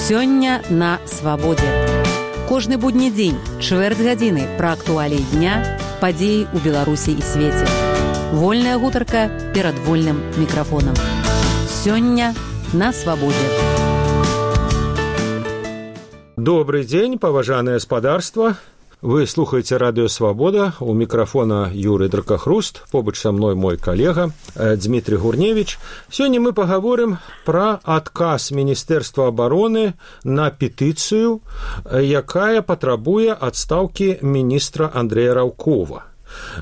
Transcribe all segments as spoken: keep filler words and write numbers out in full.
Сёння на свабодзе. Кожны будні дзень, чвэрць гадзіны пра актуаліі дня, падзеі ў Беларусі і свеце. Вольная гутарка перад вольным мікрафонам. Сёння на свабодзе. Добрый дзень, паважанае спадарства. Вы слухаеце радыё «Свабода», у мікрафона Юрый Дракахруст, побач са мной мой калега Дмітрий Гурневич. Сёння мы пагаворым пра адказ Міністэрства абароны на петыцыю, якая патрабуе адстаўкі міністра Андрэя Раўкова.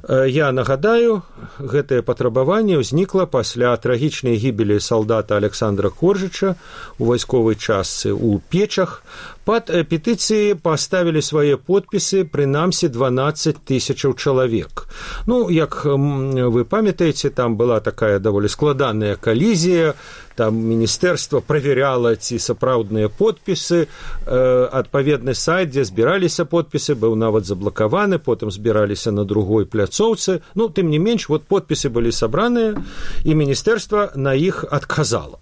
Я нагадаю, гэтае патрабаванне ўзнікла пасля трагічнай гібелі салдата Александра Коржыча у вайсковай частцы ў Печах. Пад петыцыі паставілі свае подпісы прынамсі дванаццаць тысячаў чалавек. Ну, як вы памятаеце, там была такая даволі складаная калізія, там міністэрства праверяла, ці сапраўдныя подпісы, адпаведны сайт, дзе збіраліся подпісы, быў нават заблакаваны, потым збіраліся на другой пляцоўцы. Ну, тым не менш, вот подпісы былі сабраныя, і міністэрства на іх адказала.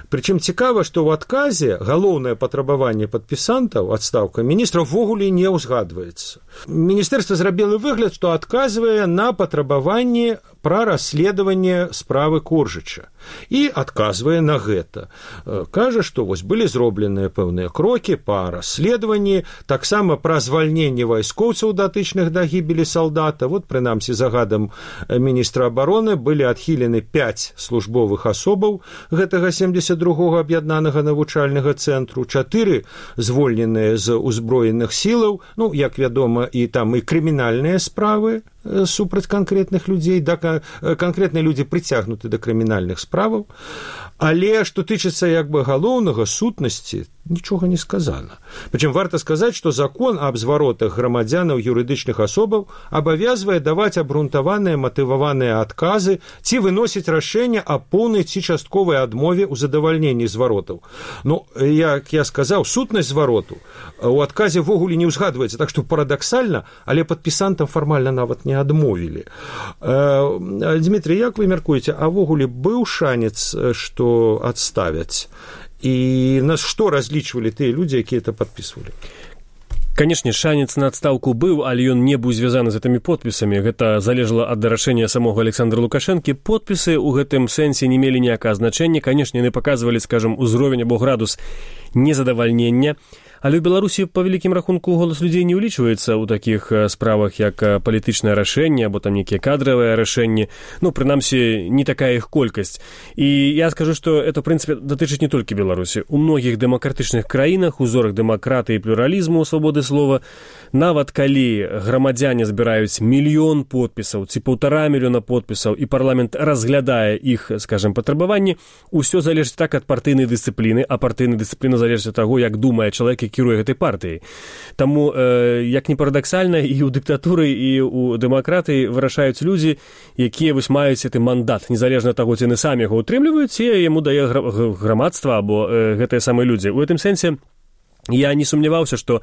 Прычым цікава, што ў адказе галоўнае патрабаванне падпісантаў, адстаўка міністра, ўвогуле не ўзгадваецца. Міністэрства зрабіла выгляд, што адказвае на патрабаванне пра расследаванне справы Коржыча і адказвае на гэта. Кажа, што вось былі зробленыя пэўныя крокі па расследаванні, таксама пра звальненне вайскоўцаў, датычных да гібелі салдата. Вот, прынамсі, загадам міністра абароны былі адхілены пяць службовых асобаў гэтага семдзесят другога аб'яднанага навучальнага цэнтру, чатыры звольненыя з узброеных сілаў, ну, як вядома, і там і крымінальныя справы супраць канкрэтных людзей, да, канкрэтныя людзі прыцягнуты да крымінальных справаў, але што тычыцца як бы галоўнага, сутнасці, нічога не сказана. Прычым варта сказаць, што закон аб зваротах грамадзянаў юрыдычных асобаў абавязвае даваць абгрунтаваныя матываваныя адказы ці выносіць рашэнне аб поўнай ці частковай адмове ў задавальненні зваротаў. Ну, як я сказаў, сутнасць звароту у адказе ввогуле не ўзгадваецца, так што парадаксальна, але падпісантам фармальна нават не адмовілі. Дмітрий, як вы мяркуеце, а ввогуле быў шанец, што адставяць? І на што разлічвалі тыя людзі, якія это падпісвалі? Канешне, шанец на адстаўку быў, але ён не быў звязаны з гэтымі подпісамі. Гэта залежала ад рашэння самога Александра Лукашэнкі. Подпісы ў гэтым сэнсе не мелі ніякага значэння. Канешне, яны паказвалі, скажам, узровень або градус незадавальнення. Але ў Беларусі, па вялікім рахунку, голас людзей не ўлічваецца ў такіх справах, як палітычнае рашэнне, або там нейкія кадравыя рашэнні. Ну, прынамсі, не такая іх колькасць. І я скажу, што это, в прынцыпе, датычыць не толькі Беларусі. У многіх дэмакратычных краінах, узорах дэмакратыі і плюралізму, свабоды слова, нават калі грамадзяне збіраюць мільён подпісаў ці паўтара мільёна подпісаў, і парламент разглядае іх, скажем, патрабаванні, усё залежыць так ад партыйнай дысцыпліны, а партыйная дысцыпліна залежыць ад таго, як думае чалавек, кіруе гэтай партыяй. Таму, э, як не парадаксальна, і ў дыктатуры, і ў дэмакратыі вырашаюць людзі, якія вось маюць гэты мандат, незалежна ад таго, ці яны самі яго ўтрымліваюць, ці яму дае грамадства або э, гэтыя самыя людзі. У гэтым сэнсе я не сумняваўся, што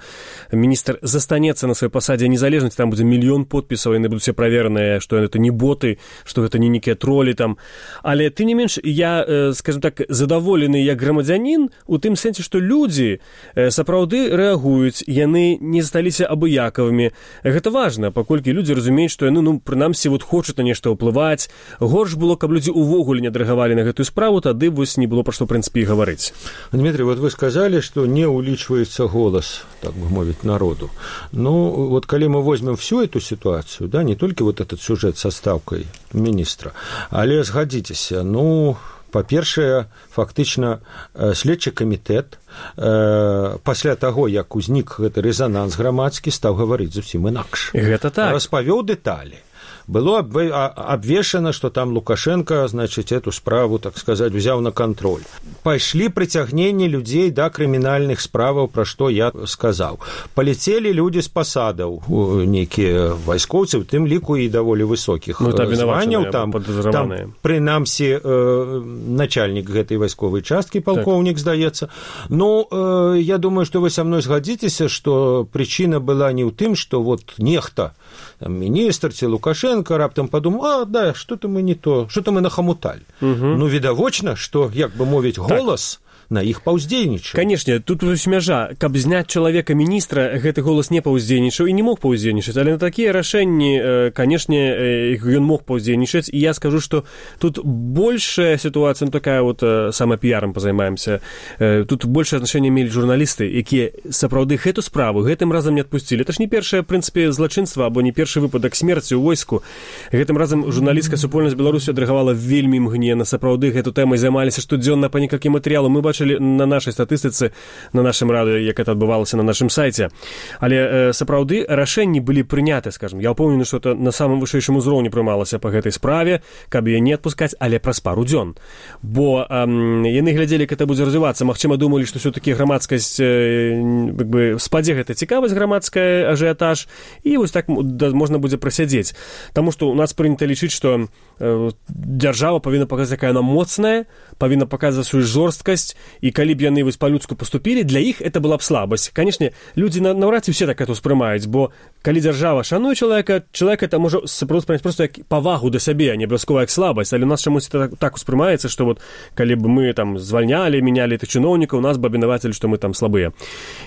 міністр застанецца на сваёй пасадзе незалежнасці, там будзе мільён подпісаў, яны будуць все правераныя, што гэта не боты, што гэта не нейкія тролі там. Але, тым не менш, я, скажем так, задаволены як грамадзянін у тым сэнсе, што людзі сапраўды рэагуюць, яны не засталіся абыякавымі. Гэта важна, паколькі людзі разумеюць, што яны, ну, прынамсі, вот хочуць на нешта ўплываць. Горш было, каб людзі увогуле не адрэагавалі на гэтую справу, тады вось не было пра што, в прынцыпе, і гаварыць. Дмітрий, вот вы сказалі, што не ўлічваецца голос, так бы мовить, народу. Ну, вот коли мы возьмем всю эту ситуацию, да, не только вот этот сюжет со ставкой министра, але згадзіцеся, ну, па-першае, фактычна следчы камітэт э, пасля таго, як узнік гэты рэзананс грамадскі, стаў гаварыць зусім інакш. Гэта так. Распавёў дэталі. Было обвешано, что там Лукашенко, значит, эту справу, так сказать, взял на контроль. Пошли притягнение людей до криминальных справаў, про что я сказал. Полетели люди с посадов, некие войсковцы, в тем лику и довольно высоких ну, званяў. Там, там принамсі, э, начальник этой войсковой частки, полковник, так. Здаецца. Но э, я думаю, что вы со мной сгодитесь, что причина была не в том, что вот нехта, там, министр ці Лукашенко раптам подумал, а, да, что-то мы не то, что-то мы нахамутали. Угу. Ну, відавочна, что, як бы мовіць, голос на іх паўздзейнічае. Канешне, тут вось мяжа, каб зняць чалавека міністра, гэты голас не паўздзейнічаў і не мог паўздзейнічаць, але на такія рашэнні, канешне, ён мог паўздзейнічаць, і я скажу, што тут большая сітуацыя, такая вот самапіярам позаймаемся, тут большее значэнне мелі журналісты, якія сапраўды гэту справу гэтым разам не адпусцілі. Это ж не першае, в прынцыпе, злачынства або не першы выпадак смерці ў войску. Гэтым разам журналісцкая супольнасць Беларусі адрэагавала вельмі імгненна, сапраўды гэту тэмай займаліся штодзённа па некалькі матэрыялаў. Мы бачылі на нашай статыстыцы, на нашым радыё, як это адбывалася на нашым сайце. Але сапраўды рашэнні былі прыняты, скажем. Я ўпэўнены, што это на самым вышэйшым узроўні прымалася па гэтай справе, каб яе не адпускаць, але праз пару дзён. Бо эм, яны глядзелі, як это будзе развівацца. Магчыма, думалі, што ўсё-такі грамадскасць, э, як бы, спадзе гэта цікавасць грамадская, ажыятаж, і вось так да, можна будзе прасядзець. Таму што у нас прынята лічыць, што э, дзяржава павінна паказаць, якая яна моцная, павінна паказаць сваю жорсткасць, і калі б яны вось па-людску паступілі, для іх это была б слабасць. Канешне, людзі наўрад ці ўсе так это ўспрымаюць, бо калі дзяржава шануе чалавека, чалавек это можа сапраўды проста як павагу да сябе, а не абавязкова як слабасць, але у нас чамусь так, так успрымаецца, што вот калі б мы там звальнялі, мінялі тых чыноўнікаў, нас бы абвінавацілі, што мы там слабыя.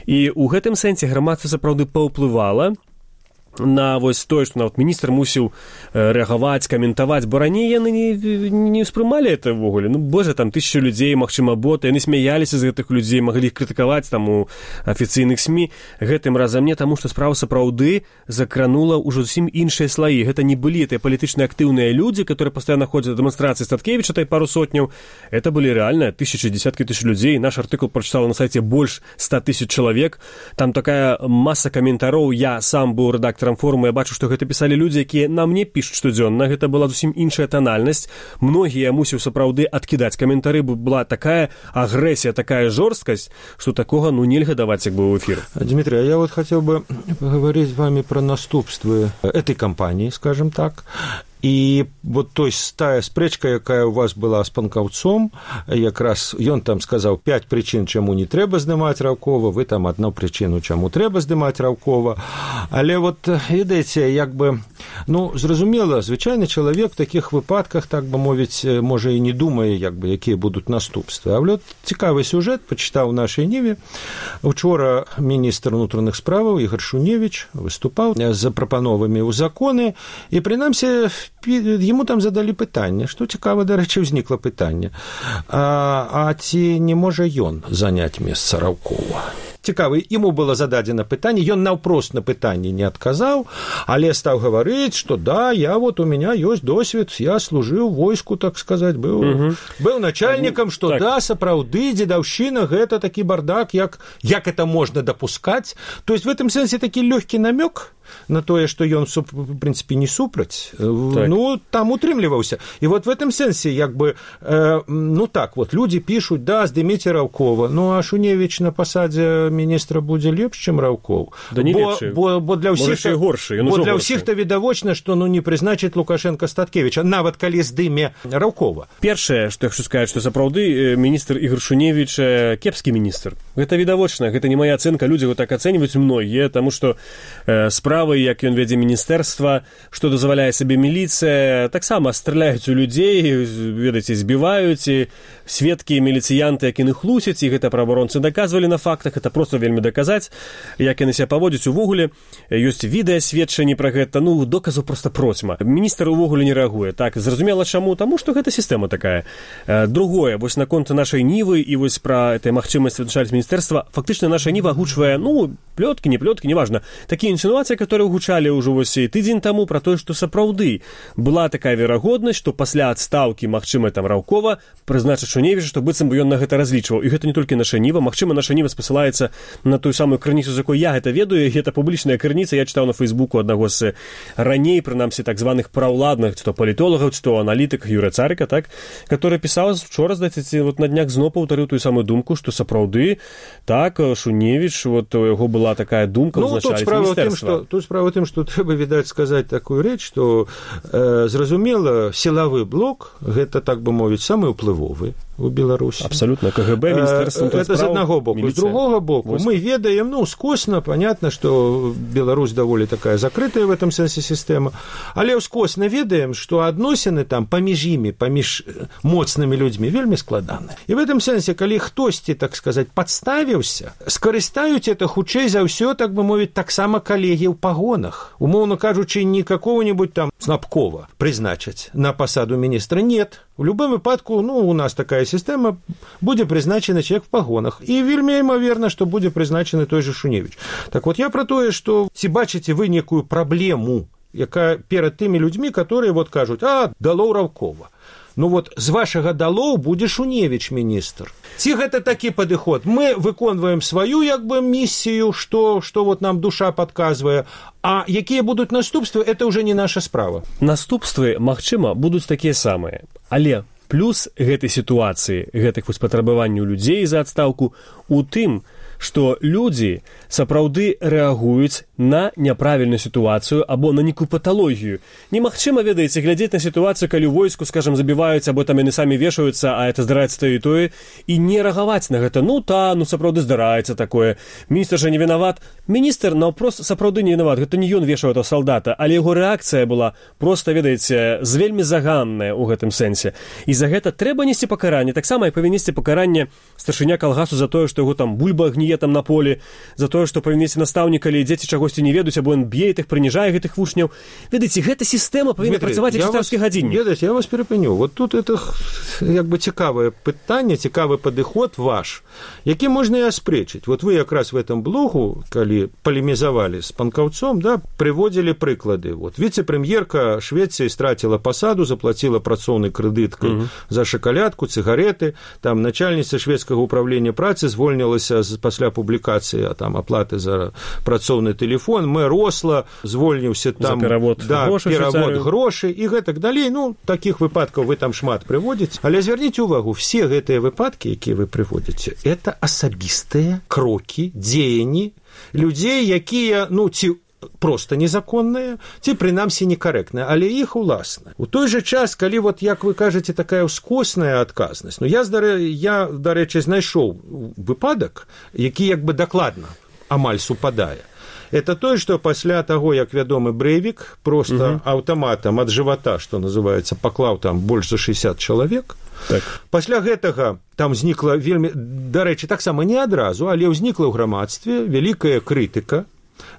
І ў гэтым сэнсе грамадства сапраўды паўплывала на вось тое, што нават міністр мусіў рэагаваць, каментаваць, бо раней яны не, не ўспрымалі это ўвогуле. Ну, божа, там тысячу людзей, магчыма, боты, яны смяяліся з гэтых людзей, маглі іх крытыкаваць там у афіцыйных СМІ. Гэтым разам не, таму што справа сапраўды закранула ўжо зусім іншыя слаі. Гэта не былі тыя палітычна актыўныя людзі, которые пастаянна ходзяць на дэманстрацыі Статкевіча, тай пару сотняў. Это былі рэальна тысячы, десяткі тысяч людзей. Наш артыкул прачытала на сайце больш ста тысяч чалавек. Там такая маса каментароў. Я сам быў рэдактарам форуму, я бачу, што гэта пісалі людзі, якія на мне пішуць штодзённа. Гэта была зусім іншая танальнасць. Многія мусіў сапраўды адкідаць каментары, бо была такая агрэсія, такая жорсткасць, што такога, ну, нельга даваць як бы ў эфір. Дмитрий, я вот хотел бы поговорить с вами про наступствы этой кампании, скажем так. І вот той тая спрэчка, якая у вас была з панкаўцом, якраз ён там сказаў пяць прычын, чаму не трэба здымаць Раўкова, вы там адну прычыну, чаму трэба здымаць Раўкова. Але вот, ведаеце, як бы, ну, зразумела, звычайны чалавек в такіх выпадках, так бы мовіць, можа і не думае, як бы, якія будуць наступствы. А вот цікавы сюжэт пачытаў у нашай Ніве. Учора міністр унутраных справаў Ігор Шуневіч выступаў з прапановамі ў законы, і прынамсі ему там задалі пытанне, што цікава, дарэчы, ўзнікла пытанне, а, а ці не можа ён заняць месца Раўкова? Цікава, ему было зададзена пытанне, ён наўпрост на пытанне не адказаў, але стаў гаварыць, што да, я вот, у меня ёсць досвед, я служыў войску, так сказаць, быў, угу. быў начальнікам, што так. Да, сапраўды, дзедаўшчына, гэта такі бардак, як, як это можна дапускаць. То есть в этом сэнсе такі лёгкі намёк на тое, што ён, в прынцыпе, не супраць, так. Ну, там утрымліваўся. І вот в этом сэнсе, як бы, э, ну так, вот, людзі пішуць, да, здыміце Раўкова, ну, а Шуневіч на пасадзе міністра будзе лепш, чым Раўков. Да не бо, лепшы. Бо, бо для ўсіх-то, горшы, бо для ўсіх-то відавочна, што, ну, не прызначыць Лукашенка Статкевіча, нават калі здыме Раўкова. Першае, што я хочу сказаць, што сапраўды міністр Ігор Шуневіч кепскі міністр. Гэта відавочна, гэта не моя ацэнка, людзі вот так ацэньваюць многія, таму што э, справы, як ён вядзе міністэрства, што дазваляе сабе міліцыя, таксама страляюць у людзей, ведаеце, збіваюць, і сведкі, міліцыянты, як яны хлусяць, і гэта праваабаронцы даказвалі на фактах, это просто вельмі даказаць, як яны себя паводзяць увогуле, ёсць відэасведчанні пра гэта, ну, доказаў проста процьма. Міністр увогуле не рэагуе. Так, зразумела чаму? Таму што гэта сістэма такая. Другое, вось наконт нашай Нівы і вось пра этой магчымасці вызначаць міністэрства, фактычна наша Ніва агучвае, ну, плёткі, не плёткі, неважна, такія інсінуацыі, которые гучалі ўжо вось тыдзень таму пра тое, што сапраўды была такая верагоднасць, што пасля адстаўкі, магчыма, там Раўкова прызначыць Шуневіча, што быццам бы ён на гэта разлічваў. І гэта не толькі наша Ніва, магчыма, наша Ніва спасылаецца на тую самую крыніцу, з якой я гэта ведаю, гэта публічная крыніца, я чытаў на Фейсбуку аднаго з раней, прынамсі, так званых праўладных, ці то палітолагаў, ці то аналітык Юрыя Царыка, так, который пісаў вчора, здаецца, вот на днях зноў паўтарыў тую самую думку, што сапраўды, так, Шуневіч, вот у яго была такая думка, ну, вызначаць міністэрства. Тут справа ў тым, што трэба, відаць, сказаць такую рэч, што, э, зразумела, сілавы блок, гэта, так бы мовіць, самы ўплывовы у Беларусі. Абсолютно. КГБ, Міністэрства это з аднаго боку. міліцыя. З другого боку, Войска. мы ведаем, ну, скосна, понятно, что Беларусь даволі такая закрытая в этом сэнсе сістэма, але скосна ведаем, что адносіны там паміж імі, паміж моцнымі людзьмі вельмі складаны. І в этом сэнсе, калі хтосьці, так сказать, падставіўся, скарыстаюць это хутчэй за ўсё, так бы мовіць, таксама калегі ў пагонах. Умоўна кажучы, не какого-нибудь там Снапкова призначаць на посаду министра. Нет. В любом выпадку, ну, у нас такая система, будзе призначены человек в погонах. И вельмі імаверна, что будзе призначены той же Шуневич. Так вот, я про тое, что ці бачыце вы некую праблему, якая перад тымі людзьмі, которые вот кажуць, а, дало Раўкова. Ну вот з вашага далоў будзе Шуневич міністр. Ці гэта такі падыход? Мы выконваем сваю як бы місію, што, што вот нам душа падказвае, а якія будуць наступствы, это ўжо не наша справа. Наступствы, магчыма, будуць такія самыя. Але плюс гэтай сітуацыі, гэтых вось патрабаванняў людзей за адстаўку у тым, што людзі сапраўды рэагуюць на няправільную сітуацыю або на нейкую паталогію. Немагчыма, ведаеце, глядзець на сітуацыю, калі ў войску, скажам, забіваюць, або там яны самі вешаюцца, а это здараецца тое і тое, і не рэагаваць на гэта. Ну, та, ну, сапраўды здараецца такое. Міністр жа не вінават. Міністр, наўпрост, сапраўды не вінават. Гэта не ён вешаў этого салдата, але яго рэакцыя была проста, ведаеце, вельмі заганная ў гэтым сэнсе. І за гэта трэба несці пакаранне. Таксама і павінен несці пакаранне старшыня калгасу за тое, што яго там бульба гніе там на полі, за тое, што павінен несці настаўнік, калі дзеці чагосьці не ведаюць, або ён б'е іх, прыніжае гэтых вучняў. Ведаеце, гэта сістэма павінна працаваць як царскі гадзіннік. Ведаеце, я вас перапыню. Вот тут это як бы цікавае пытанне, цікавы падыход ваш, які можна і аспрэчыць. Вот вы якраз в этом блогу, калі палемізавалі з панкаўцом, да, прыводзілі прыклады. Вот віцэ-прэм'ерка Швецыі страціла пасаду, заплаціла працоўнай крэдыткай uh-huh. за шакалядку, цыгареты, там начальніца шведскага ўправлення працы звольнілася пасля публікацыі, а там аплаты за працоўны тэлефон, мэр Осла звольніўся там, за перавод да, грошай, перавод грошай і гэтак далей. Ну, такіх выпадкаў вы там шмат прыводзіце. Але звярніце ўвагу, все гэтыя выпадкі, якія вы прыводзіце, это асабістыя крокі, дзеянні людзей, якія, ну, ці просто незаконныя, ці прынамсі некарэктныя, але іх уласна. У той жа час, калі вот, як вы кажаце, такая ўскосная адказнасць, ну, я, я, дарэчы, знайшоў выпадак, які як бы дакладна амаль супадае. Это тое, што пасля таго, як вядомы Брэйвік проста угу. аўтаматам ад жывата, што называецца, паклаў там больш за шэсцьдзесят чалавек. Так. Пасля гэтага там знікла вельмі, дарэчы, таксама не адразу, але ўзнікла ў грамадстве вялікая крытыка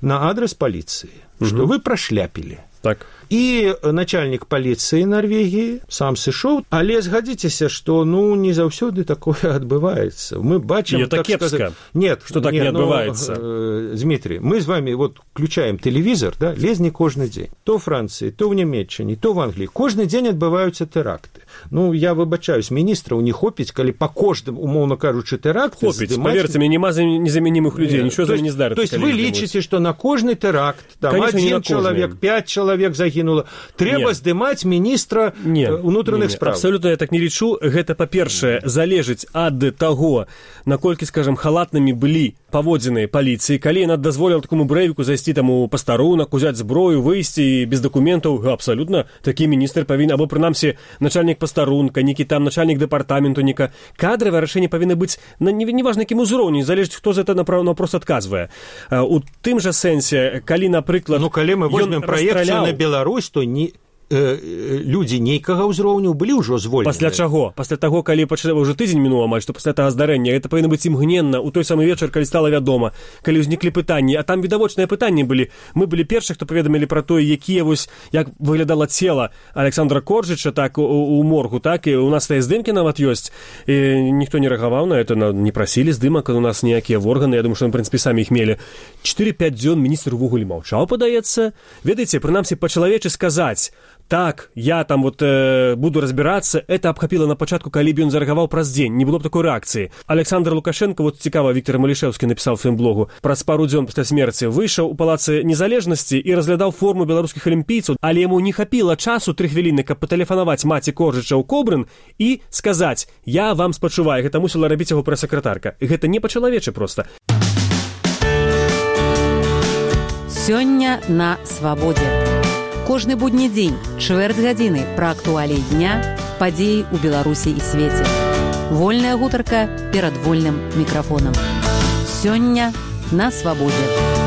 на адрес паліцыі, угу. што вы прашляпілі. Так. І начальнік паліцыі Нарвегіі сам сышоў, але згадзіцеся, што, ну, не заўсёды такое адбываецца. Мы бачым, так сказать... Нет, что так нет, не адбываецца. Ну, Дмитрий, мы с вами вот включаем телевизор, да, лезні кожны дзень. То ў Францыі, то ў Нямецчине, то в Англии. Кожны дзень адбываюцца тэракты. Ну, я выбачаюсь, міністраў не хопіць, калі па кожным, умоўна кажучы, тэракты... Хопіць, здымаць... поверьте мне, нема незаменимых людей, ничего за не здарыцца. То есть вы лічыце, што на кожны тэракт, там, конечно, один чалавек, пять чалавек загінула, трэба здымаць міністра ўнутраных справ. Абсолютно я так не лічу. Гэта, па-першае, залежыць ад таго, наколькі, скажем, халатнымі былі паводзіны паліцыі. Калі яна дазволіла такому Брэйвіку зайсці там у пастарунак, узяць зброю, выйсці без дакументаў, абсолютно такі міністр павінен, або прынамсі начальнік пастарунка, некі там начальнік дэпартаменту, нека кадравае рашэнне павінна быць на неважна якім узроўні, залежыць, хто за это наўпрост адказвае. У тым жа сэнсе, калі, напрыклад, ну, калі мы возьмем праекцыю на Беларусь, то не людзі нейкага ўзроўню былі ўжо звольненыя. Пасля чаго? Пасля таго, калі пачалі ўжо тыдзень мінуў амаль, што пасля таго здарэння, гэта павінна быць імгненна ў той самы вечар, калі стала вядома, калі ўзніклі пытанні, а там відавочныя пытанні былі. Мы былі першых, хто паведамілі пра тое, якія вось як выглядала цела Александра Коржыча, так у, у моргу, так і у нас тыя здымкі нават ёсць. І ніхто не рэагаваў на это, не прасілі здымак, у нас ніякія органы, я думаю, што мы, в прынцыпе, самі іх мелі. чатыры-пяць дзён міністр увогуле маўчаў, падаецца. Ведаеце, прынамсі па-чалавечы сказаць: так, я там вот э, буду разбираться, это обхапило на початку, калі б ён зарэагаваў праз дзень, не было б такой рэакцыі. Александр Лукашенко, вот цікава, Віктор Малішэўскі напісаў в сваім блогу, праз пару дзён пасля смерці выйшаў у палацы Незалежнасці і разглядаў форму беларускіх алімпійцаў, але яму не хапіла часу тры хвіліны, каб патэлефанаваць маці Коржыча ў Кобрын і сказаць: я вам спачуваю. Гэта мусіла рабіць яго прэс-сакратарка. Гэта не па-чалавечы проста. Сёння на свабодзе. Кожны будні дзень, чвэрць гадзіны пра актуаліі дня, падзеі ў Беларусі і свеце. Вольная гутарка перад вольным мікрафонам. Сёння на свабодзе.